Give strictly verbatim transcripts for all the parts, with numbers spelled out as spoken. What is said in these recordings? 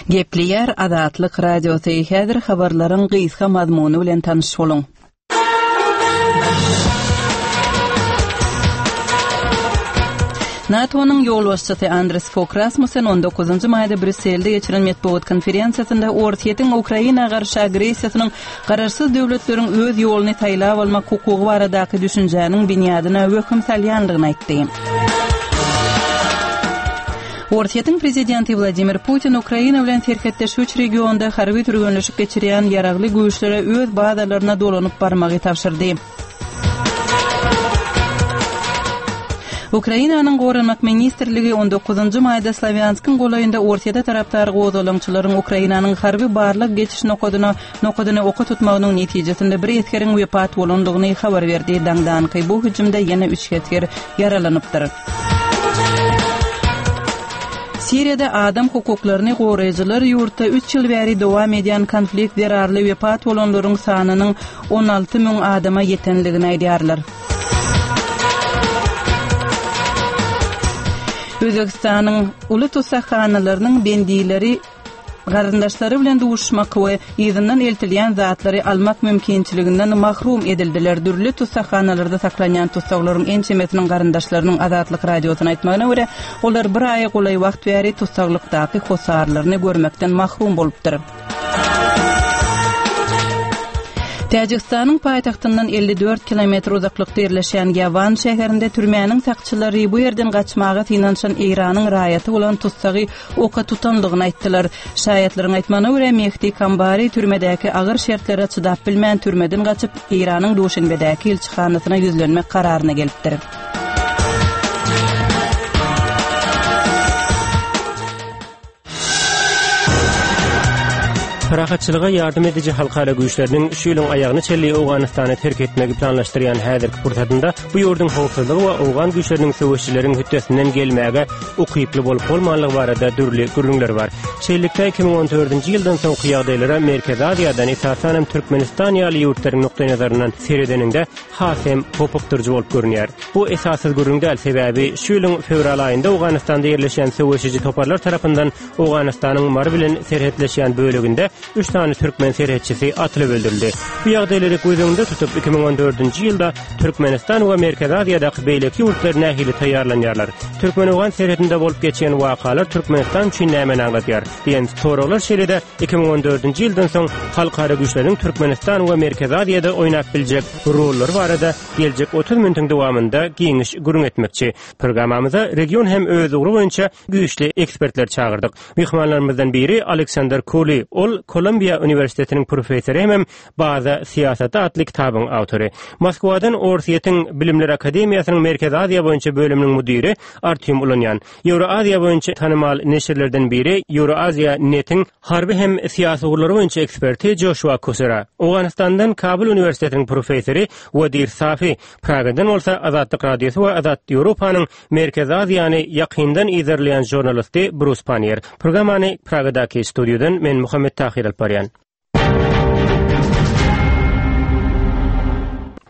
Gepleýär Azatlyk Radiosy. Häzir habarlaryň gysga mazmuny bilen tanyş boluň. NATO-nyň ýolbaşçysy Andres Fog Rasmussen on dokuzynjy maýda Brýusselde geçiren metbugat konferensiýasynda Orsýetiň Ukraina garşy agressiýasynyň garaşsyz döwletleriň öz ýoluny saýlap almak hukugy baradaky düşünjäniň binýadyna wehim salýandygyny aýtdy. Orsýetiň prezidenti Wladimir Putin Ukraina bilen serhetdeş üç regionda harby türgenleşik geçirýän ýaragly güýçlere öz bazalaryna dolanyp barmagy tabşyrdy. Ukrainanyň Goranmak ministrligi on dokuzynjy maýda Slawýanskyň golaýynda Orsýete tarapdar gozgalaňçylaryň Ukrainanyň harby barlag geçiş nokadyna nokadyny oka tutmagynyň netijesinde bir esgeriň wepat bolandygyny habar berdi. Daňdanky bu hüjümde ýene üç esger ýaralanypdyr. Siriýada adam hukuklaryny goraýjylar ýurtda üç ýyl bäri dowam edýän konflikt zerarly wepat bolanlaryň sanynyň on alty müň adama ýetenligini aýdýarlar. Özbegistanyň uly tussaghanalarynyň bendileri garyndaşlary bilen duşmak we yzyndan eltilýän zatlary almak mümkinçiliginden mahrum edildiler. Dürli tussaghanalarda saklanýan tussaglaryň ençemesiniň garyndaşlarynyň Azatlyk Radiosyna aýtmagyna görä, olar bir aýa golaý wagt bäri tussaglykdaky hosarlaryny görmekden mahrum bolupdyr. Täjigistanyň paýtagtyndan elli dört kilometr uzaklykda ýerleşýän Ýawan şäherinde türmäniň sakçylary bu ýerden gaçmaga synanyşan Eýranyň raýaty bolan tussagy oka tutandygyny aýtdylar. Şaýatlaryň aýtmagyna görä, Mehdi Kambari türmedäki agyr şertlere çydap bilmän türmeden gaçyp, Eýranyň Duşenbedäki ilçihanasyna ýüzlenmek kararyna gelipdir. Parahatçylyga ýardam ediji halkara güýçleriniň şu ýylyň aýagyny çenli Owganystany terk etmegi planlaşdyrýan häzirki pursatynda bu ýurduň howpsuzlygy we owgan güýçleriniň söweşçileriň hötdesinden gelmäge ukyply bolup bolmanlygy barada dürli gürrüňler bar. Şeýlelikde iki müň on dördünji ýyldan soňky ýagdaýlara Merkezi Aziýadan esasan hem Türkmenistan ýaly ýurtlaryň nukdaýnazaryndan seredeniňde has hem hopukdyryjy bolup görünýär. Bu esassyz gürrüň däl, sebäbi şu ýylyň fewral aýynda Owganystanda ýerleşýän söweşiji toparlar tarapyndan Owganystanyň Mary bilen serhetleşýän böleginde üç sany türkmen serhetçisi atylyp öldürildi. Bu ýagdaýlary göz öňünde tutup iki müň on dördünji ýylda Türkmenistan we Merkezi Aziýadaky beýleki ýurtlar nähili taýýarlanýarlar? Türkmen-Owgan serhedinde bolup geçen wakalar Türkmenistan üçin nämäni aňladýar? Diýen soraglar şeýle-de iki müň on dördünji ýyldan soň halkara güýçleriň Türkmenistan we Merkezi Aziýada oýnap biljek rollary barada geljek otuz minutiň dowamynda giňiş gürrüň etmekçi. Programmamyza region hem öz ugry boýunça güýçli ekspertler çagyrdyk. Myhmanlarymyzdan biri Aleksandr Kuli, ol Kolumbiýa Uniwersitetiniň professory hem Baza syýasaty atly kitabyň awtory. Moskwadan Orsýetiň Bilimler Akademiýasynyň Merkezi Aziýa boýunça bölüminiň müdiri Artyom Ulanýan. Ýewroaziýa boýunça tanymal neşirlerden biri Ýewroaziýa Netiň harby hem syýasy ugurlary boýunça eksperti Joşua Kusera. Owganystandan Kabul Uniwersitetiniň professory Wadir Safi, Pragadan bolsa Azatlyk Radiosy we Azat Ýewropanyň Merkezi Aziýany ýakyndan yzarlaýan žurnalisti Brus Panier. Programmany Pragadaky studiýadan men Muhammet Tahir alyp barýan.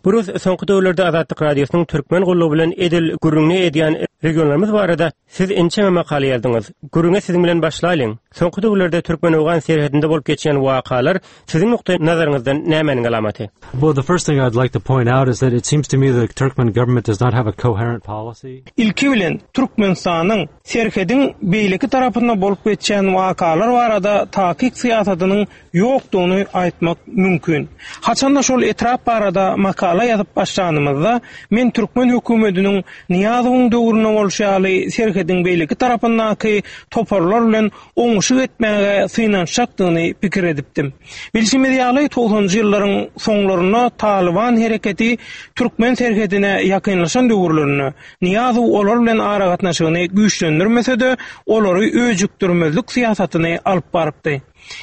Brus, soňky döwürlerde Azatlyk Radiosynyň türkmen gullugy bilen edil gürrüňini edýän regionlarymyz barada siz ençeme makala ýazdyňyz. Gürrüňe siziň bilen başlaýlyň. Soňky döwürlerde türkmen-owgan serhedinde bolup geçýän wakalar siziň nukdaý nazaryňyzdan nämäniň alamaty? Well, the first thing I'd like to point out is that it seems to me the Turkmen government does not have a coherent policy. Ilki bilen Türkmenistanyň serhediň beýleki tarapynda bolup geçýän wakalar barada takyk syýasatynyň ýokdugyny aýtmak mümkin. Haçanda şol etrap barada makala ýazyp başlanymyzda men türkmen hökümetiniň Nyýazowyň döwründe bolşy ýaly serhediň beýleki tarapyndaky toparlar bilen oňuşyk etmäge synanyşjakdygyny pikir edipdim. Bilşimiz ýaly togsanjy ýyllaryň soňlarynda Taliban hereketi türkmen serhedine ýakynlaşan döwürlerinde Nyýazow olar bilen aragatnaşygyny güýçlendirmese-de, olary öjükdirmezlik syýasatyny alyp barypdy.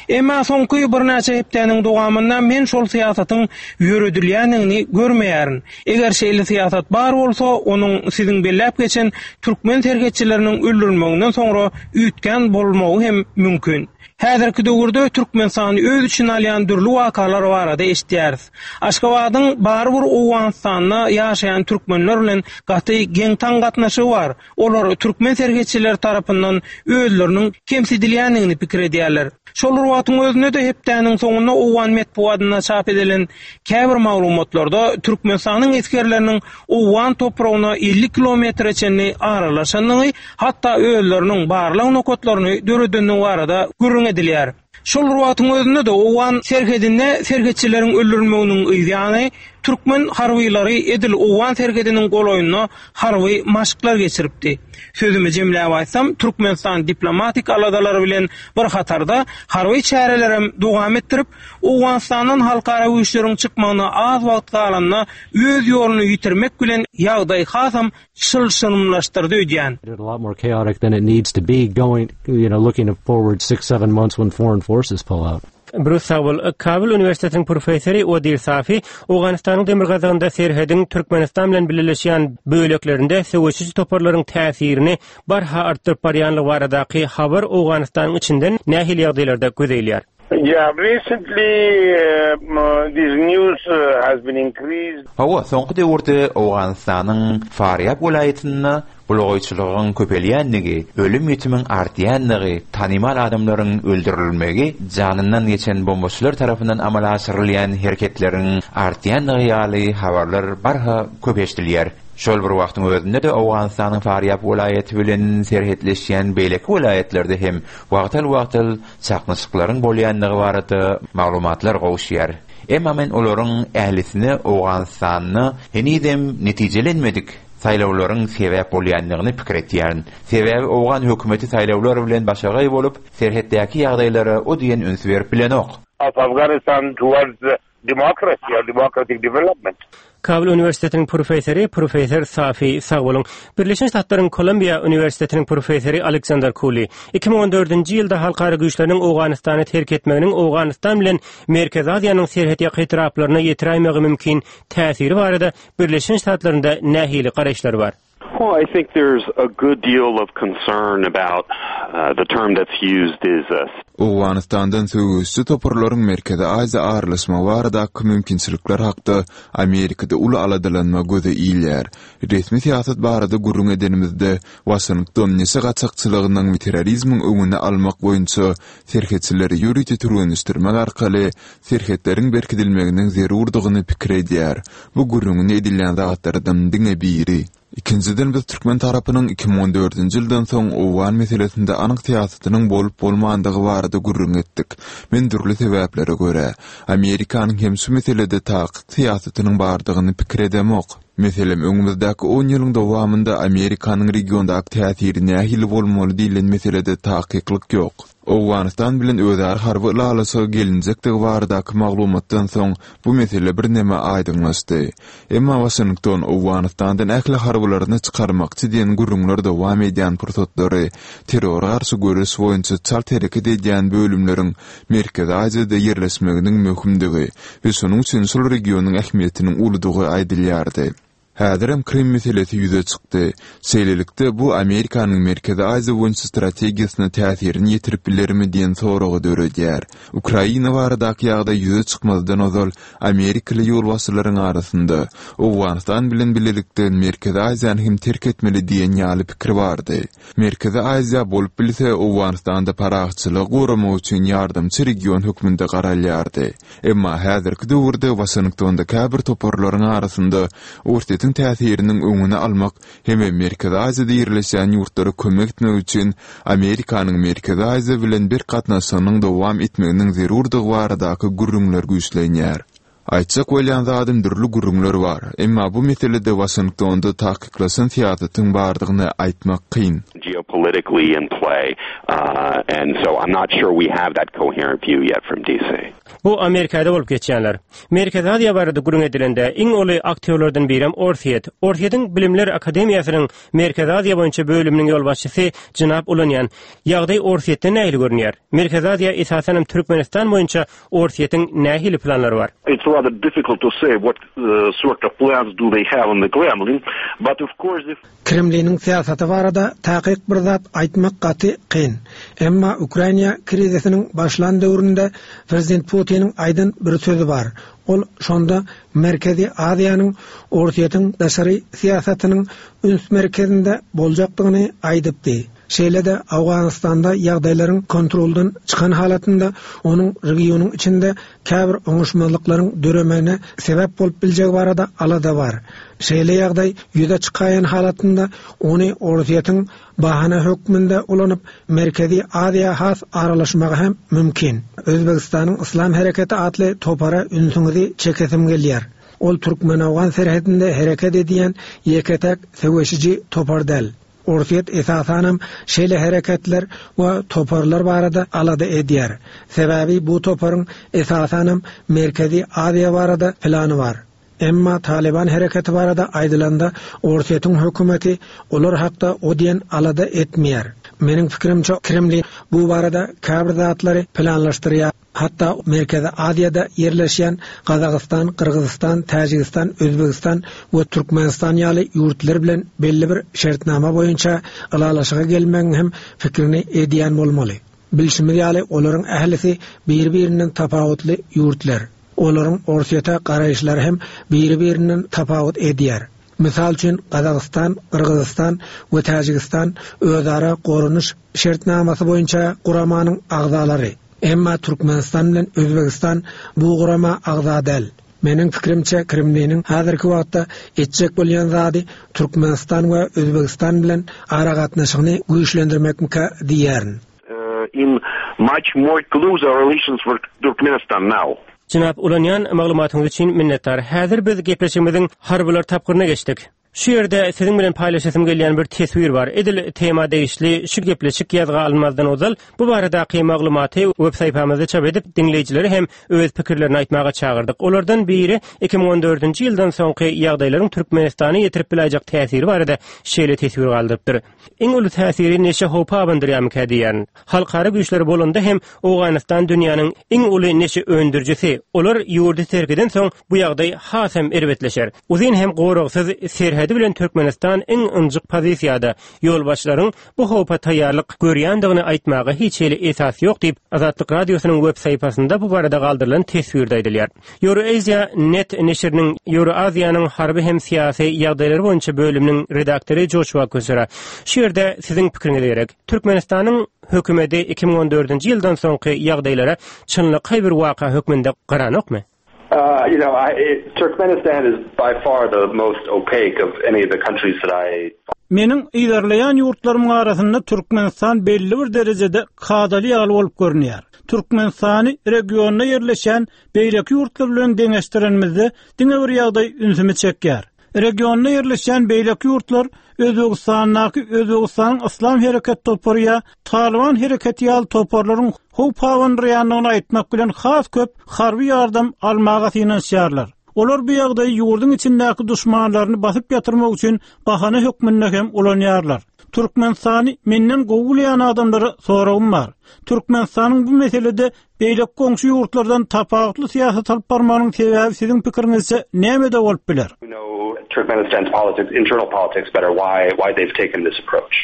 Emma soňky birnäçe hepdäniň dowamynda men şol syýasatyň ýöredilýändigini görmeýärin. Eger şeýle syýasat bar bolsa, onuň siziň belläp geçen türkmen serhetçileriniň öldürilmeginden soňra üýtgän bolmagy hem mümkin. Häzirki döwürde Türkmenistany öz içine alýan dürli wakalar barada eşitýäris. Aşgabadyň barybir Owganystanda ýaşaýan türkmenler bilen gaty geň-taň gatnaşygy bar. Olar türkmen serhetçileri tarapyndan özleriniň kemsidilýändigini pikir edýärler. Şol bir wagtyň özünde-de hepdäniň soňunda Owgan metbugatynda çap edilen käbir maglumatlarda Türkmenistanyň esgerleriniň Owgan topragyna elli kilometre çenli aralaşandygy, hatda özleriniň barlag nokatlaryny döredendigi barada gürrüň edilýär. Şol bir wagtyň özünde-de Owgan serhedinde serhetçileriň öldürilmeginiň yzýany türkmen harbylary edil Owgan serhediniň golaýynda harby maşklar geçiripdi. Sözümi jemläp aýtsam, Türkmenistan diplomatik aladalary bilen bir hatarda harby çärelerem dowam etdirip, Owganystandan halkara güýçleriň çykmagyna az wagt galanda öz ýoluny ýitirmek bilen ýagdaý hasam çylşyrymlaşdyrdy öýdýän. A lot more chaotic than it needs to be going, you know, looking forward six, seven months when foreign forces pull out. Brus sag bol. Kabul Uniwersitetiniň professory Odil Safi Owganystanyň demirgazygynda serhediň Türkmenistan bilen bileleşýän böleklerinde söweşiji toparlaryň täsirini barha artdyryp barýanlygy baradaky habar Owganystanyň içinden nähili ýagdaýlarda göze ilýär? Yeah, recently uh, this news uh, has been increased. Hawa, soňky döwürde Owganystanyň Farýab welaýatynda bulagaýçylygyň köpelýänligi, ölüm-ýitimiň artýanlygy, tanymal adamlaryň öldürilmegi, janyndan geçen bombaçylar tarapyndan amala aşyrylýan hereketleriň artýanlygy ýaly habarlar barha köp eşidilýär. Şol bir wagtyň özünde-de Owganystanyň Farýab welaýaty bilen serhetleşýän beýleki welaýatlarda hem wagtal-wagtal çaknyşyklaryň bolýanlygy barada maglumatlar gowuşýar. Emma men olaryň ählisine Owganystanda henizem netijelenmedik saýlawlaryň sebäp bolýanlygyny pikir etýärin. Sebäbi Owgan hökümeti saýlawlar bilen başagaý bolup, serhetdäki ýagdaýlara o diýen üns berip bilenok. Of Afghanistan towards democracy or democratic development. Kabul Uniwersitetiniň professory professor Safi sag boluň. Birleşen Ştatlaryň Kolumbiýa Uniwersitetiniň professory Aleksander Kuli iki müň on dördünji ýylda halkara güýçleriniň Owganystany terk etmeginiň Owganystan bilen Merkezi Aziýanyň serhetýaka etraplaryna ýetiräýmegi mümkin täsiri barada Birleşen Ştatlarynda nähili garaýyşlar bar? Well, I think there's a good deal of concern about, uh, the term that's used is a Owganystandan söweşçi toparlaryň Merkezi Aziýa aralaşmagy baradaky mümkinçilikler hakda Amerikada uly aladalanma göze ilýär. Resmi syýasat barada gürrüň edenimizde Waşington neşe gaçakçylygynyň we terrorizmiň öňüni almak boýunça serhetçileri ýörite türgenleşdirmek arkaly serhetleriň berkidilmeginiň zerurdygyny pikir edýär. Bu gürrüňini edilýän zatlardan diňe biri. Ikinjiden biz türkmen tarapynyň iki müň on dördünji ýyldan soň Owgan meselesinde anyk syýasatynyň bolup bolmandygy barada gürrüň etdik. Men dürli sebäplere görä Amerikanyň hem şu meselede takyk syýasatynyň bardygyny pikir edemok. Meselem, öňümizdäki on ýylyň dowamynda Amerikanyň regiondaky täsiri nähili bolmaly diýlen meselede takyklyk ýok. Owganystan bilen özara harby ylalaşyga gelinjekdigi baradaky maglumatdan soň bu mesele birneme aýdyňlaşdy. Emma Waşington Owganystandan ähli harbylaryny çykarmakçy diýen gürrüňler dowam edýän pursatlary terrora garşy göreş boýunça çalt hereket edýän bölümleriň Merkezi Aziýada ýerleşmeginiň möhümdigi we şonuň üçin şol regionyň ähmiýetiniň uludygy aýdylýardy. Häzirem Krym meselesi ýüze çykdy. Şeýlelikde bu Amerikanyň Merkezi Aziýa boýunça strategiýasyna täsirini ýetirip bilermi diýen soragy döredýär. Ukraina baradaky ýagdaý ýüze çykmazdan ozal Amerikaly ýolbaşçylaryň arasynda Owganystan bilen birlikde Merkezi Aziýany hem terk etmeli diýen ýaly pikir bardy. Merkezi Aziýa bolup bilse Owganystanda parahatçylygy goramak üçin ýardamçy region hökmünde garalýardy. Emma häzirki döwürde Waşingtonda käbir toparlaryň arasynda Orsýetiň täsiriniň öňüni almak hem Merkezi Aziýada ýerleşýän ýurtlara kömek etmek üçin Amerikanyň Merkezi Aziýa bilen bir gatnaşygynyň dowam etmeginiň zerurdygy baradaky gürrüňler güýçlenýär. Aýtjak bolýan zadym dürli gürrüňler bar. Emma bu meselede Waşingtonda takyklaşan syýasatyň bardygyny aýtmak kyn. Geopolitically in play, uh, and so I'm not sure we have that coherent view yet from D C. Bu Amerikada bolup geçýänler. Merkezi Aziýa barada gürrüň edilende iň uly aktýorlardan birem Orsýet. Orsýetiň Bilimler Akademiýasynyň Merkezi Aziýa boýunça bölüminiň ýolbaşçysy jenap Ulanýan. Ýagdaý Orsýetde nähili görünýär? Merkezi Aziýa, esasanam Türkmenistan boýunça Orsýetiň nähili planlary bar? It's rather difficult to say what uh, sort of plans do they have in the Kremlin, but of course if Kremliniň syýasaty barada takyk bir zat aýtmak gaty kyn. Emma Ukraina krizisiniň başlan döwründe prezident Putiniň aýdan bir sözi bar. Ol şonda Merkezi Aziýanyň Orsýetiň daşary syýasatynyň üns merkezinde boljakdygyny aýdypdy. Şeýle-de Awganystanda ýagdaýlaryň kontroldan çykan halatynda onuň regionyň içinde käbir oňuşmazlyklaryň döremegine sebäp bolup biljegi barada alada bar. Şeýle ýagdaý ýüze çykaýan halatynda ony Orsýetiň bahana hökmünde ulanyp Merkezi Aziýa has aralaşmagy hem mümkin. Özbegistanyň Islam Hereketi atly topara ünsüňizi çekesim gelýär. Ol Türkmen-Awgan serhedinde hereket edýän ýeke-täk söweşiji topar däl. Orsýet esasanam şeýle hereketler we toparlar barada alada edýär. Sebäbi bu toparyň esasanam Merkezi Aziýa barada plany bar. Emma Taliban hereketi barada aýdylanda Orsýetiň hökümeti olar hakda o diýen alada etmeýär. Meniň pikirimçe Kremlin bu barada käbir zatlary planlaşdyrýar. Hatda Merkezi Aziýada ýerleşýän Gazagystan, Gyrgyzystan, Täjigistan, Özbegistan we Türkmenistan ýaly ýurtlar bilen belli bir şertnama boýunça ylalaşyga gelmegiň hem fikrini edýän bolmaly. Bilşimiz ýaly olaryň ählisi bir-birinden tapawutly ýurtlar. Olaryň Orsýete garaýyşlary hem biri-birinden tapawut edýär. Misal üçin Gazagystan, Gyrgyzystan we Täjigistan özara goranyş şertnamasy boýunça guramanyň agzalary. Emma Türkmenistan bilen Özbegistan bu gurama agza däl. Meniň fikrimçe Kremliniň häzirki wagtda etjek bolýan zady Türkmenistan we Özbegistan bilen aragatnaşygyny güýçlendirmekmika diýýärin. In much more closer relations with Turkmenistan now. Jenap Ulanýan, maglumatyňyz üçin minnetdar. Häzir biz gepleşigimiziň harbylar tapgyryna geçdik. Şu ýerde siziň bilen paýlaşasym gelýän bir teswir bar. Edil tema degişli şu gepleşik ýazga alynmazdan ozal bu baradaky maglumaty web saýfamyzda çap edip, diňleýjileri hem öz pikirlerini aýtmaga çagyrdyk. Olardan biri iki müň on dördünji ýyldan soňky ýagdaýlaryň Türkmenistana ýetirip biläýjek täsiri barada şeýle teswir galdyrypdyr. Iň uly täsiri neşe howpy abandyrýarmyka diýýän. Halkara güýçleri bolanda hem Owganystan dünýäniň iň uly neşe öndürijisi. Olar ýurdy terk eden soň bu ýagdaý has hem erbetleşer. Uzyn hem goragsyz serhedi bilen Türkmenistan iň ynjyk pozisiýada. Ýolbaşçylaryň bu howpa taýýarlyk görýändigini aýtmaga hiç hili esas ýok diýip, Azatlyk Radiosynyň web saýfasynda bu barada galdyrylan teswirde aýdylýar. Eurasia Net neşiriniň Euraziýanyň harby hem syýasy ýagdaýlary boýunça bölüminiň redaktory Joshua Kusera. Şu ýerde siziň pikiriňiz gerek. Türkmenistanyň hökümeti iki müň on dördünji ýyldan soňky ýagdaýlara çynlakaý bir waka hökmünde garanokmy? Uh, you know, I, it, Turkmenistan is by far the most opaque of any of the countries that I Meniň yzarlaýan ýurtlarymyň arasynda Türkmenistan belli bir derejede kadaly ýaly bolup görünýär. Türkmenistany regionda ýerleşen beýleki ýurtlar bilen deňeşdirenimizde diňe bir ýagdaý ünsümi çekýär. Regionda ýerleşen beýleki ýurtlar Özbegistandaky Özbegistanyň Islam Hereket topary ýa Taliban hereketi ýaly toparlaryň howp abandyrýandygyny aýtmak bilen has köp harby ýardam almaga synanyşýarlar. Olar bu ýagdaýy ýurduň içindäki duşmanlaryny basyp ýatyrmak üçin bahana hökmünde hem ulanýarlar. Türkmenistany menden gowy bilýän adamlara soragym bar. Türkmenistanyň bu meselede beýleki goňşy ýurtlardan tapawutly syýasat alyp barmagynyň sebäbi siziň pikiriňizçe nämede bolup biler? Know Turkmenistan's politics, internal politics better, why why they've taken this approach.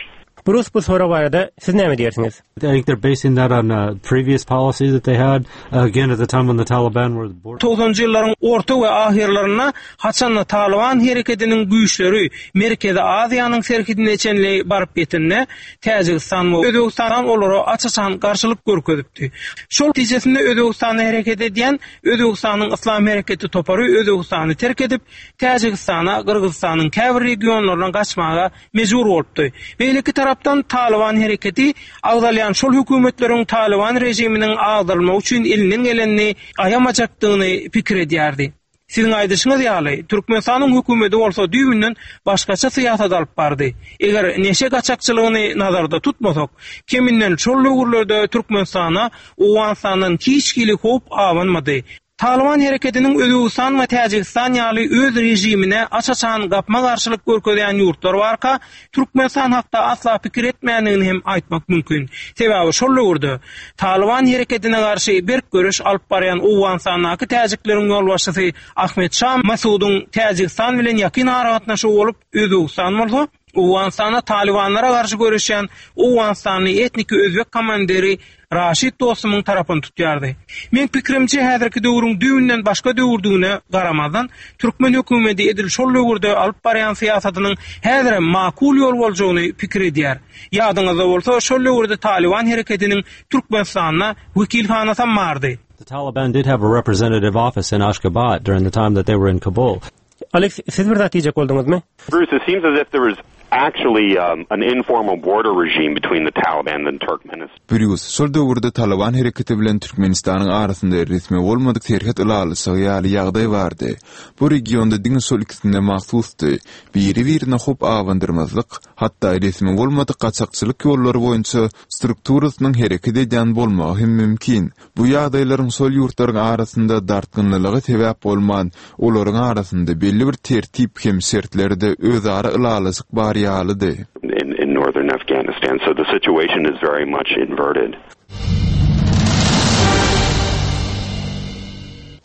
Bruce, bu sorag barada siz näme diýersiňiz? I think they're basing that on uh, previous policies that they had. Uh, again, at the time when the Taliban were the border. togsanynjy ýyllaryň orta we ahyrlarynda haçanda Taliban hereketiniň güýçleri Merkezi Aziýanyň serhedine çenli baryp ýetende Täjigistan we Özbegistan olara aç-açan garşylyk görkezipdi. Şol netijesinde Özbegistanda hereket edýän Özbegistanyň Islam Hereketi topary Özbegistany terk edip Täjigistana, Gyrgyzystanyň käbir regionlaryndan gaçmaga mejbur bolupdy. Beýleki tarapdan tarapdan Talyban hereketi agzalýan şol hökümetleriň Talyban režiminiň agdarylmagy üçin elinden gelenini aýamajakdygyny pikir edýärdi. Siziň aýdyşyňyz ýaly, Türkmenistanyň hökümeti bolsa düýbünden başgaça syýasat alyp bardy. Eger neşe gaçakçylygyny nazarda tutmasak, keminden şol döwürlerde Türkmenistana Owganystandan hiç hili howp abanmady. Talyban hereketiniň Özbegistan we Täjigistan ýaly öz režimine aç-açan gapma-garşylyk görkezýän ýurtlar barka, Türkmenistan hakda asla pikir etmändigini hem aýtmak mümkin. Sebäbi şol döwürde Talyban hereketine garşy berk göreş alyp barýan Owganystandaky täjikleriň ýolbaşçysy Ahmet Şah Masudyň Täjigistan bilen ýakyn aragatnaşygy bolup, Özbegistan bolsa Owganystanda Talybanlara garşy göreşýän Owganystanly etniki özbek komandiri Raşid Dostumyň tarapyny tutýardy. Meň pikirimçe häzirki döwrüň düýbünden başga döwürdigine garamazdan, türkmen hökümeti edil şol döwürde alyp barýan syýasatynyň häzirem makul ýol boljagyny pikir edýär. Ýadyňyzda bolsa, şol döwürde Talyban hereketiniň Türkmenistanda wekilhanasam bardy. The Taliban did have a representative office in Ashgabat during the time that they were in Kabul. Alex, siz bir zat diýjek bolduňyzmy? Bruce, it seems as if there was actually um, an informal border regime between the Taliban and Turkmenistan. Brýus, şol döwürde Talyban hereketi bilen Türkmenistanyň arasynda resmi bolmadyk serhet ylalaşygy ýaly ýagdaý bardy. Bu regionda diňe şol ikisine mahsusdy. Biri-birine howp abandyrmazlyk, hatda resmi bolmadyk gaçakçylyk ýollary boýunça strukturasynyň hereket edýän bolmagy hem mümkin. Bu ýagdaýlaryň şol ýurtlaryň arasynda dartgynlylyga sebäp bolman, olaryň arasynda belli bir tertip hem şertlerde özara ylalaşyk bar ýalydy. In, in northern Afghanistan, so the situation is very much inverted.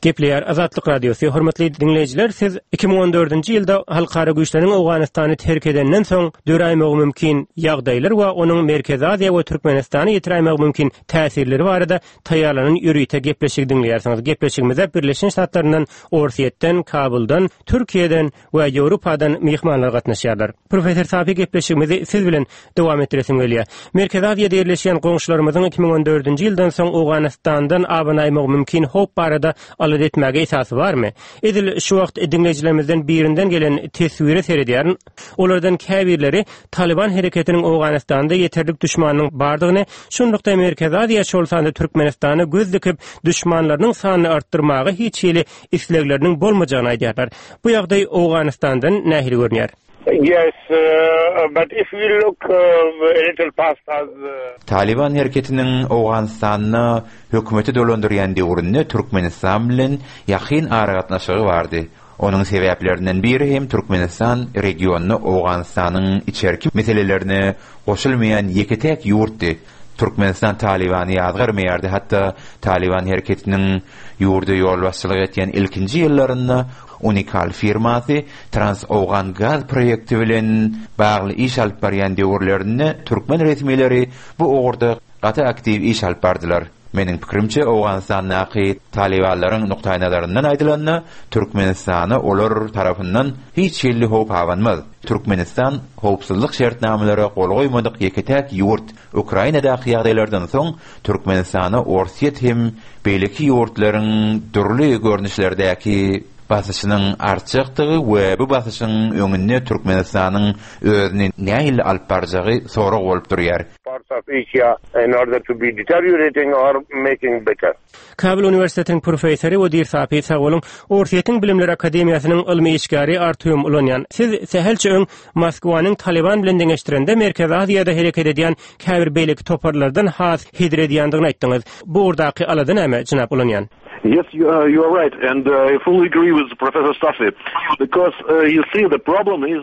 Gepleýär Azatlyk Radiosy. Hormatly diňleýjiler, siz iki müň on dördünji ýylda halkara güýçleriň Owganystany terk edenden soň döräýmegi mümkin ýagdaýlar we onuň Merkezi Aziýa we Türkmenistana ýetiräýmegi mümkin täsirleri barada taýýarlanan ýörite gepleşigi diňleýärsiňiz. Gepleşigimize Birleşen Ştatlaryndan, Orsýetden, Kabuldan, Türkiýeden we Ýewropadan myhmanlar gatnaşýarlar. Professor Safi, gepleşigimizi siz bilen dowam etdiresim gelýär. Merkezi Aziýada ýerleşýän goňşularymyzyň iki müň on dördünji ýyldan soň Owganystandan abanaýmagy mümkin howp barada alada etmäge esasy barmy? Edil şu wagt diňleýjilerimizden birinden gelen teswire seredýärin. Olardan käbirleri Taliban hereketiniň Owganystanda ýeterlik düşmanynyň bardygyny, şunlukda Merkezi Aziýa, şol sanda Türkmenistana göz dikip düşmanlarynyň sanyny artdyrmaga hiç hili islegleriniň bolmajagyny aýdýarlar. Bu ýagdaý Owganystandan nähili görünýär? Yes, uh, but if we look, uh, a little past as, uh, Taliban hereketiniň Owganystanda hökümeti dolandyrýan döwründe Türkmenistan bilen ýakyn aragatnaşygy bardy. Onuň sebäplerinden biri hem Türkmenistan regionyna Owganystanyň içerki meselelerine goşulmaýan ýeke-tek ýurtdy. Türkmenistan Talibany ýazgarmaýardy. Hatda Taliban hereketiniň ýurda ýolbaşçylyk etýän ilkinji ýyllarynda Unikal firmasy Trans-Owgan gaz proýekti bilen bagly iş alyp barýan döwürlerinde türkmen resmileri bu ugurda gaty aktiw iş alyp bardylar. Meniň pikirimçe Owganystandaky Talibanlaryň nukdaýnazaryndan aýdylanda Türkmenistana olar tarapyndan hiç hili howp abanmaz. Türkmenistan howpsuzlyk şertnamelere gol goýmadyk ýeke-täk ýurt. Ukrainadaky ýagdaýlardan soň Türkmenistana Orsýet hem beýleki ýurtlaryň dürli görnüşlerdäki basyşynyň artjakdygy we bu basyşyň öňünde Türkmenistanyň özüni nähili alyp barjagy sorag bolup durýar. Parts of Asia in order to be deteriorating or making better. Kabul Uniwersitetiniň professory Odir Sapi sag boluň. Orsýetiň Bilimler Akademiýasynyň ylmy işgäri Artyom Ulanýan. Siz sähelçe öň Moskwanyň Taliban bilen deňeşdirende Merkezi Aziýada hereket edýän käbir beýleki toparlardan has hedir edýändigini aýtdyňyz. Bu ugurdaky alada näme, jenap Ulanýan? Yes, you, uh, you are right, and, uh, I fully agree with Professor Safi, because, uh, you see, the problem is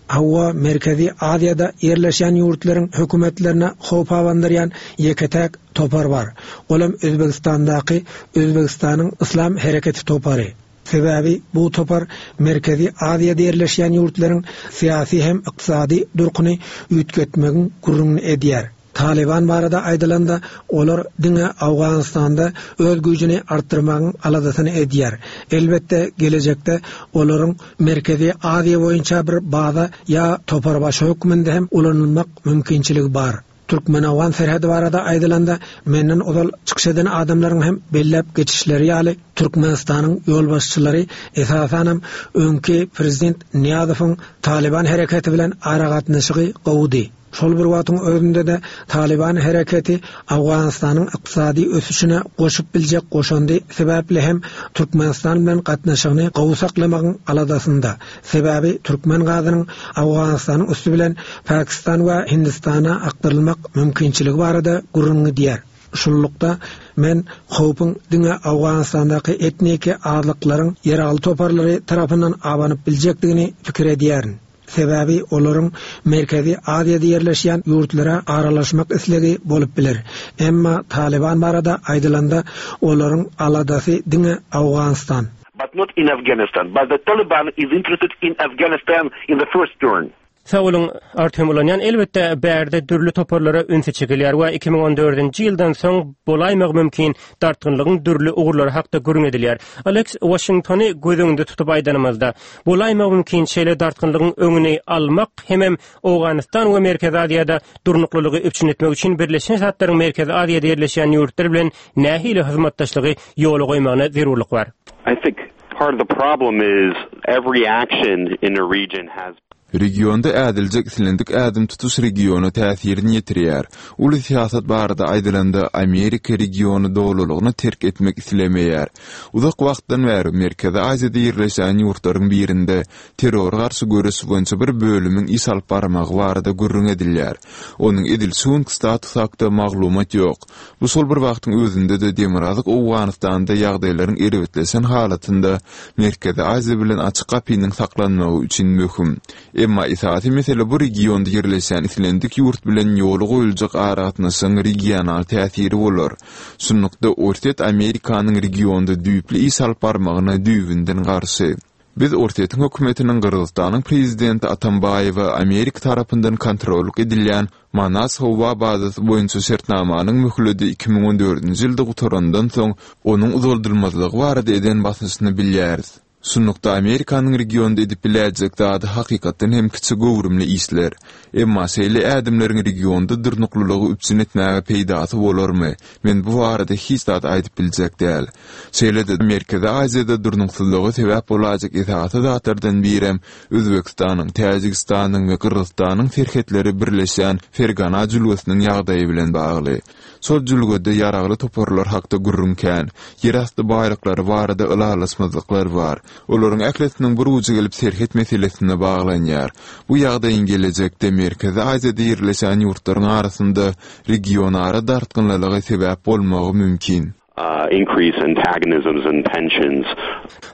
Hawa Merkezi Aziýada ýerleşen ýurtlaryň hökümetlerine howp abandyrýan ýeke-täk topar bar. Olam Özbegistandaky Özbegistanyň Islam Hereketi topary. Sebäbi bu topar Merkezi Aziýada ýerleşen ýurtlaryň syýasy hem ykdysady durkuny üýtgetmegiň gürrüňini edýär. Taliban barada aýdylanda, olar diňe Awganystanda öz güýjüni artdyrmagyň aladasyny edýär. Elbetde, gelejekde olaryň Merkezi Aziýa boýunça bir baza ýa toparbaşy hökmünde hem ulanylmak mümkinçiligi bar. Türkmen-Awgan serhedi barada aýdylanda, menden ozal çykyş eden adamlaryň hem belläp geçişleri ýaly, Türkmenistanyň ýolbaşçylary esasanam öňki prezident Niýazowyň Taliban hereketi bilen aragatnaşygy gowudy. Şol bir wagtyň özünde-de Talyban hereketi Owganystanyň ykdysady ösüşine goşup biljek goşandy sebäpli hem Türkmenistan bilen gatnaşygyny gowy saklamagyň aladasynda. Sebäbi türkmen gazynyň Owganystanyň üsti bilen Pakistan we Hindistana akdyrylmak mümkinçiligi barada gürrüň gidýär. Şunlukda men howpuň diňe Owganystandaky etniki azlyklaryň ýaragly toparlary tarapyndan abanyp biljekdigini pikir edýärin. Sebäbi olaryň Merkezi Aziýada ýerleşýän ýurtlara aralaşmak islegi bolup biler. Emma Talyban barada aýdylanda olaryň aladasy diňe Owganystan. But not in Afghanistan. But the Taliban is interested in Afghanistan in the first turn. Sag boluň, Artyom Ulanýan. Elbetde, bärde dürli toparlara ünsi çekilýär we iki müň on dördünji ýyldan soň bolaýmagy mümkin dartgynlygyň dürli ugurlary hakda gürrüň edilýär. Aleks, Waşingtony göz öňünde tutup aýdanymyzda, bolaýmagy mümkin şeýle dartgynlygyň öňüni almak hemem Owganystan we Merkezi Aziýada durnuklylygy üpjün etmek üçin Birleşen Ştatlaryň Merkezi Aziýada ýerleşýän ýurtlar bilen nähili hyzmatdaşlygy ýola goýmagyna zerurlyk bar? I think part of the problem is every action in the region has Regionda ädiljek islendik ädim tutuş regiona täsirini ýetirýär. Uly syýasat barada aýdylanda, Amerika regiony dolulygyna terk etmek islemeýär. Uzak wagtdan bäri Merkezi Aziýada ýerleşýän ýurtlaryň birinde terrora garşy göreş boýunça bir bölümiň iş alyp barmagy barada gürrüň edilýär. Onuň edil şu günki statusy hakda maglumat ýok. Bu şol bir wagtyň özünde-de Demirgazyk Owganystanda ýagdaýlaryň erbetleşen halatynda Merkezi Aziýa bilen açyk gapynyň saklanmagy üçin möhüm. Emma esasy mesele bu regionda ýerleşýän islendik ýurt bilen ýola goýuljak aragatnaşygyň regional täsiri bolar. Şunlukda Orsýet Amerikanyň regionda düýpli iş alyp barmagyna düýbünden garşy. Biz Orsýetiň hökümetiniň Gyrgyzystanyň prezidenti Atambaýewa Amerika tarapyndan kontrollyk edilýän Manas howa bazasy boýunça şertnamanyň möhleti iki müň on dördünji ýylda gutarandan soň onuň uzaldylmazlygy barada eden basyşyny bilýäris. Şunlukda Amerikanyň regionda edip biläýjek zady hakykatdan hem kiçi göwrümli işler. Emma şeýle ädimleriň regionda durnuklylygy üpjün etmäge peýdasy bolarmy? Men bu barada hiç zat aýdyp biljek däl. Şeýle-de Merkezi Aziýada durnuksyzlyga sebäp bolajak esasy zatlardan birem Özbekistanyň, Täjigistanyň we Gyrgyzystanyň serhetleri birleşýän Fergana jülgesiniň ýagdaýy bilen bagly. Şol jülgede ýaragly toparlar hakda gürrüň kän, ýerasty baýlyklary barada ylalaşmazlyklar bar. Olaryň ählisiniň bir ujy gelip serhet meselesine baglanýar. Bu ýagdaýyň gelejekde Merkezi Aziýada ýerleşen ýurtlaryň arasynda regionara dartgynlylyga sebäp bolmagy mümkin. Uh, increase antagonisms and tensions.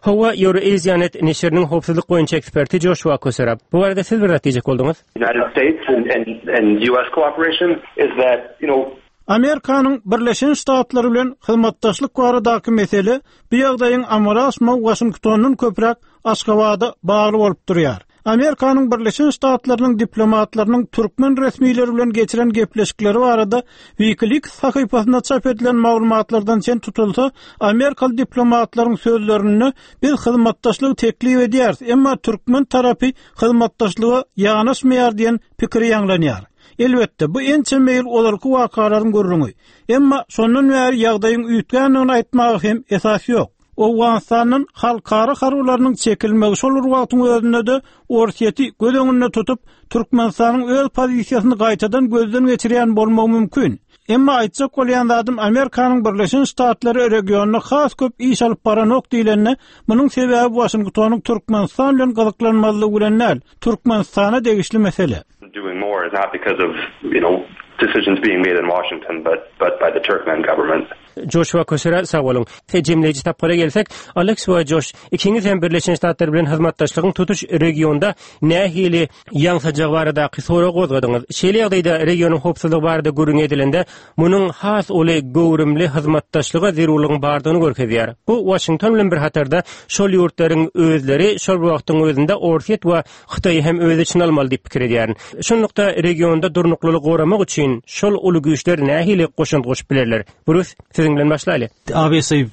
Hawa, Eurasianet neşiriniň howpsuzlyk boýunça eksperti Joshua Koserab. Bu barada siz bir zat diýjek bolduňyz? United States and, and, and U S cooperation is that, you know, Amerikanyň Birleşen Ştatlary bilen hyzmatdaşlyk baradaky mesele bu ýagdaýyň amala aşmagy Waşingtondan köpräk Aşgabada bagly bolup durýar. Amerikanyň Birleşen Ştatlarynyň diplomatlarynyň türkmen resmileri bilen geçiren gepleşikleri barada WikiLeaks sahypasynda çap edilen maglumatlardan çen tutulsa, Amerikaly diplomatlaryň sözlerinde biz hyzmatdaşlygy teklip edýäris, emma türkmen tarapy hyzmatdaşlyga ýanaşmaýar diýen pikiri ýaňlanýar. Elbetde, bu ençeme ýyl ozalky wakalaryň gürrüňi. Emma şondan bäri ýagdaýyň üýtgändigini aýtmaga hem esas ýok. Owganystandan halkara harbylarynyň çekilmegi şol bir wagtyň özünde-de Orsýeti göz öňünde tutup, Türkmenistanyň öz pozisiýasyny gaýtadan gözden geçirýän bolmagy mümkin. Emma aýtjak bolýan zadym Amerikanyň Birleşen Ştatlary regionda has köp iş alyp baranok diýlende, munuň sebäbi Waşingtonyň Türkmenistan bilen gyzyklanmazlygy bilen däl, Türkmenistana degişli mesele. Doing more is not because of, you know, decisions being made in Washington, but, but by the Turkmen government. Joshua Kosera sag boluň. Jemleýji tapgyra gelsek, Alex we Josh, ikiňiz hem Birleşen Ştatlar bilen hyzmatdaşlygyň tutuş regionda nähili ýaňsajagy baradaky sorag gozgadyňyz. Şeýle ýagdaýda regionyň howpsuzlygy barada gürrüň edilende, munuň has uly göwrümli hyzmatdaşlyga zerurlygyň bardygyny görkezýär. Bu Washington bilen bir hatarda şol ýurtlaryň özleri şol wagtyň özünde Orsýet we Hytaýy hem öz içine almaly diýip pikir edýärin. Şunlukda regionda durnuklylygy goramak üçin şol uly güýçler nähili goşant goşup bilerler? Bruce, siziň bilen başlaýly. Obviously,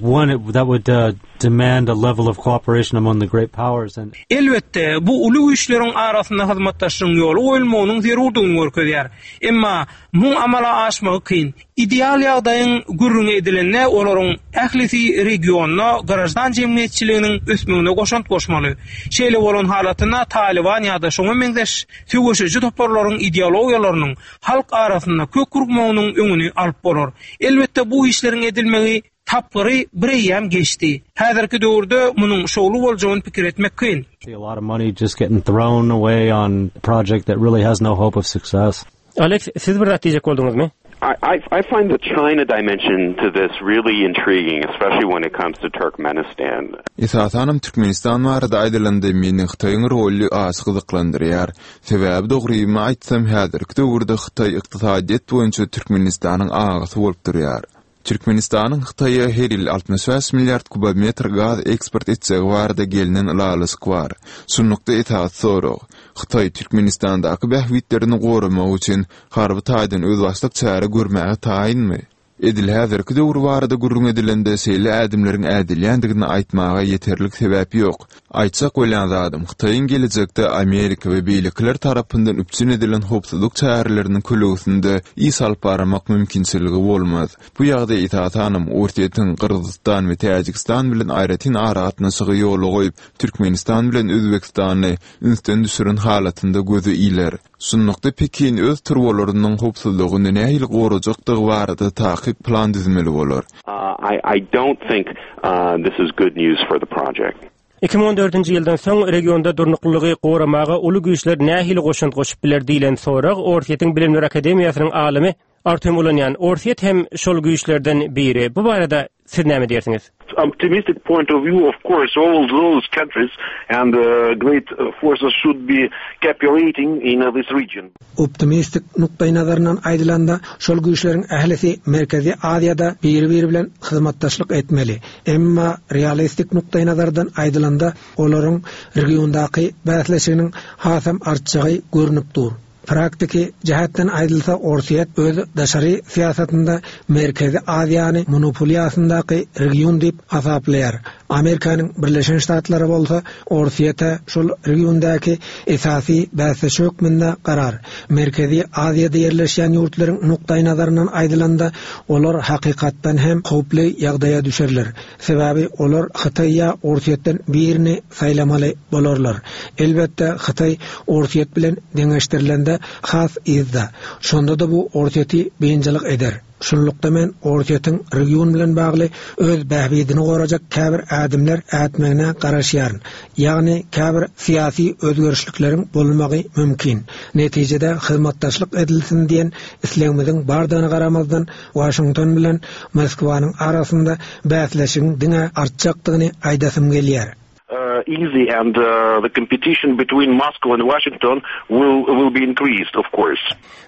one that would, uh, demand a level of cooperation among the great powers and Elbetde, bu uly güýçleriň arasynda hyzmatdaşlygyň ýoly goýulmagynyň zerurdygyny görkezýär. Emma muň amala aşmagy kyn. Ideal ýagdaýyň gürrüňi edilende olaryň ählisi regionda graždan jemgyýetçiliginiň ösmegine goşant goşmaly. Şeýle bolan halatynda Taliban ýa-da şoňa meňzeş söweşiji toparlaryň ideologiýalarynyň halk arasynda kök urmagynyň öňüni alyp bolar. Elbetde bu işleriň edilmegi tapgyry bir eýýäm geçdi. Häzirki döwürde munuň şowly boljagyny pikir etmek kyn. A lot of money just getting thrown away on a project that really has no hope of success. Alex, siz bir zat diýjek bolduňyzmy? I, I, I find the China dimension to this really intriguing, especially when it comes to Turkmenistan. Esasanam Türkmenistan barada aýdylanda meni Hytaýyň roly az gyzyklandyrýar. Sebäbi dogrymy aýtsam häzirki döwürde Hytaý ykdysadyýet boýunça Türkmenistanyň agasy bolup durýar. Türkmenistanyň Hytaýa her ýyl altmyş bäş milliard kubometr gaz eksport etjegi barada gelinen ylalaşyk bar. Şunlukda esasy sorag, Hytaý Türkmenistandaky bähbitlerini goramak üçin harby taýdan özbaşdak çäre görmäge taýynmy? Edil häzirki döwür barada gürrüň edilende şeýle ädimleriň ädilýändigini aýtmaga ýeterlik sebäp ýok. Aýtjak bolýan zadym, Hytaýyň gelejekde Amerika we beýlekiler tarapyndan üpjün edilen howpsuzlyk çäreleriniň kölegesinde iş alyp barmak mümkinçiligi bolmaz. Bu ýagdaý esasanam Orsýetiň Gyrgyzystan we Täjigistan bilen aýratyn aragatnaşygy ýola goýup, Türkmenistan bilen Özbekistany ünsden düşüren halatynda göze iler. Şunlukda Pekin öz turbalarynyň howpsuzlygyny nähili gorajakdygy barada takyk plan düzmeli bolar. Uh, I, I don't think uh, this is good news for the project. iki müň on dördünji ýyldan soň regionda durnuklylygy goramaga uly güýçler nähili goşant goşup biler diýlen sorag Orsýetiň Bilimler Akademiýasynyň alymy Artem Ulanýan. Orsýet hem şol güýçlerden biri. Bu barada siz näme diýersiňiz? Optimistic point of view, of course, all those countries and, uh, great forces should be cooperating in this region. Optimistik nukdaý nazaryndan aýdylanda, şol güýçleriň ählisi Merkezi Aziýada biri-biri bilen hyzmatdaşlyk etmeli. Emma realistik nukdaý nazardan aýdylanda, olaryň regiondaky bäsleşiginiň hasam artjagy görünip dur. Praktiki jähetden aýdylsa, Orsýet öz daşary syýasatynda Merkezi Aziýany monopoliýasyndaky region diýip hasaplaýar. Amerikanyň Birleşen Ştatlary bolsa Orsýete şol regiondaky esasy bäsdeş hökmünde garar. Merkezi Aziýada ýerleşýän ýurtlaryň nukdaý nazaryndan aýdylanda, olar hakykatdan hem howply ýagdaýa düşerler. Sebäbi olar Hytaý ýa Orsýetden birini saýlamaly bolarlar. Elbetde Hytaý Orsýet bilen deňeşdirilende has yzda. Şonda da bu Orsýeti biynjalyk eder. Şunlukda men Orsýetiň region bilen bagly öz bähbidini gorajak käbir ädimler ätmegine garaşýaryn. Ýagny käbir syýasy özgerişlikleriň bolmagy mümkin. Netijede hyzmatdaşlyk edilsin diýen islegimiziň bardygyna garamazdan Washington bilen Moskwanyň arasynda bäsleşigiň diňe artjakdygyny aýdasym gelýär. Uh, easy and, uh, the competition between Moscow and Washington will, will be increased, of course.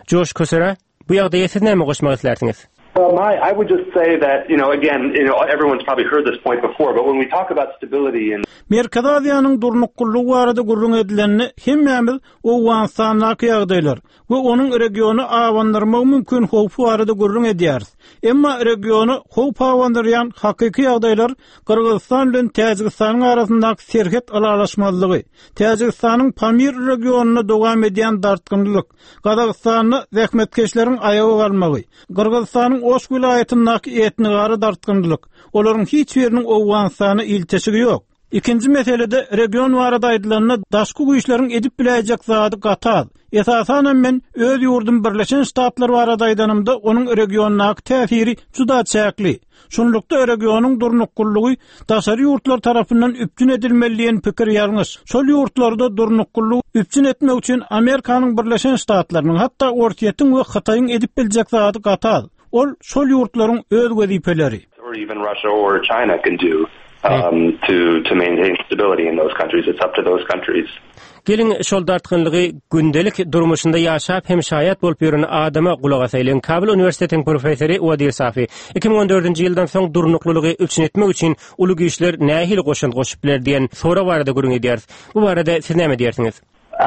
Josh Kosera, bu ýagdaýa siz näme goşmak islersiňiz? Well, my, I would just say that, you know, again, you know, everyone's probably heard this point before, but when we talk about stability and Merkezi Aziýanyň durnuklylygy barada gürrüň edilende, hemmämiz Owganystandaky ýagdaýlar we onuň regiony awandyrmagy mümkin howpy barada gürrüň edýäris. Emma regiony howp awandyrýan hakyky ýagdaýlar Gyrgyzystan bilen Täjigistanyň arasyndaky serhet ylalaşmazlygy, Täjigistanyň Pamir regionynda dowam edýän dartgynlyk, Gazagystanda zähmetkeşleriň aýaga galmagy, Gyrgyzystanyň Oş welaýatyndaky etnigara dartgynlyk, olaryň hiç biriniň Owganystana ilteşigi ýok. Ikinji meselede region barada aýdylanda daşky güýçleriň edip biläýjek zady gaty az. Esasanam men öz ýurdum Birleşen Ştatlar barada aýdanymda onuň regiondaky täsiri juda çäkli. Şunlukda regionyň durnuklylygy daşary ýurtlar tarapyndan üpjün edilmeli diýen pikir ýalňyş. Şol ýurtlarda durnuklylygy üpjün etmek üçin Amerikanyň Birleşen Ştatlarynyň, hatda Orsýetiň we Hytaýyň edip biljek zady gaty az. Ol şol ýurtlaryň öz wezipeleri. Or even Russia or China can do, um, to, to maintain stability in those countries. It's up to those countries. Gelin şol dartgynlygy gündelik durmuşynda ýaşap hem şaýat bolup ýören adama gulak asaýlyň. Kabul Uniwersitetiniň professory Wadir Safi iki müň on dördünji ýyldan soň durnuklylygy üpjün etmek üçin uly güýçler nähili goşant goşup biler diýen sorag barada gürrüň edýäris. Bu barada siz näme diýersiňiz?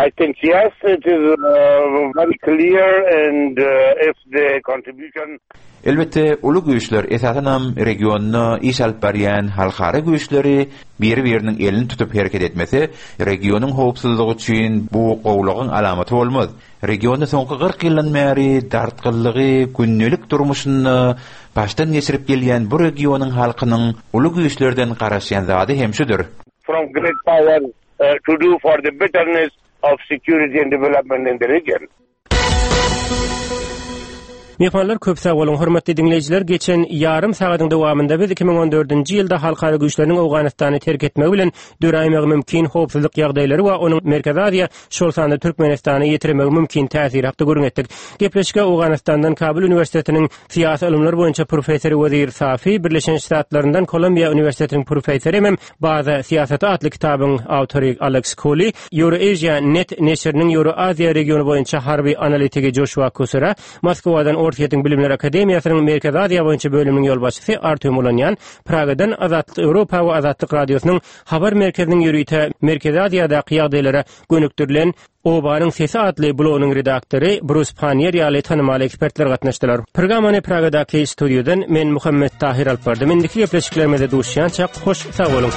I think yes, it is, uh, very clear, and, uh, if the contribution Elbetde uly güýçler esasanam regionda iş alyp barýan halkara güýçleri biri-biriniň elini tutup hereket etmese, regionyň howpsuzlygy üçin bu gowlugyň alamaty bolmaz. Regionda soňky kyrk ýyldan bäri dartgynlygy gündelik durmuşynda başdan geçirip gelýän bu regionyň halkynyň uly güýçlerden garaşýan zady hem şudur. From great power uh, to do for the betterness of security and development in the region. Myhmanlar, köp sag boluň. Hormatly diňleýjiler, geçen ýarym sagadyň dowamynda biz iki müň on dördünji ýylda halkara güýçleriniň Owganystany terk etmegi bilen döräýmegi mümkin howpsuzlyk ýagdaýlary we onuň Merkezi Aziýa, şol sanda Türkmenistana ýetirmegi mümkin täsiri hakda gürrüň etdik. Gepleşige Owganystandan Kabul uniwersitetiniň syýasy ylymlar boýunça professory Wezir Safi, Birleşen Ştatlaryndan Kolumbiýa uniwersitetiniň professory hem Baza syýasaty atly kitabyň awtory Alex Koli, Eurasia Net neşiriniň Euroaziýa regiony boýunça harby analitigi Joşua Kusura, Moskwadan Orsýetiň Bilimler Akademiýasynyň Merkezi Aziýa boýunça bölüminiň ýolbaşçysy Artyom Ulanýan, Pragadan Azatlyk Ýewropa we Azatlyk Radiosynyň habar merkeziniň ýörite Merkezi Aziýadaky ýagdaýlara gönükdirilen Obanyň sesi atly blogynyň redaktory Brus Pannier ýaly tanymal ekspertler gatnaşdylar. Programmany Pragadaky studiýadan men Muhammet Tahir alyp bardym. Indiki gepleşiklerimizde duşýançak hoş sag boluň.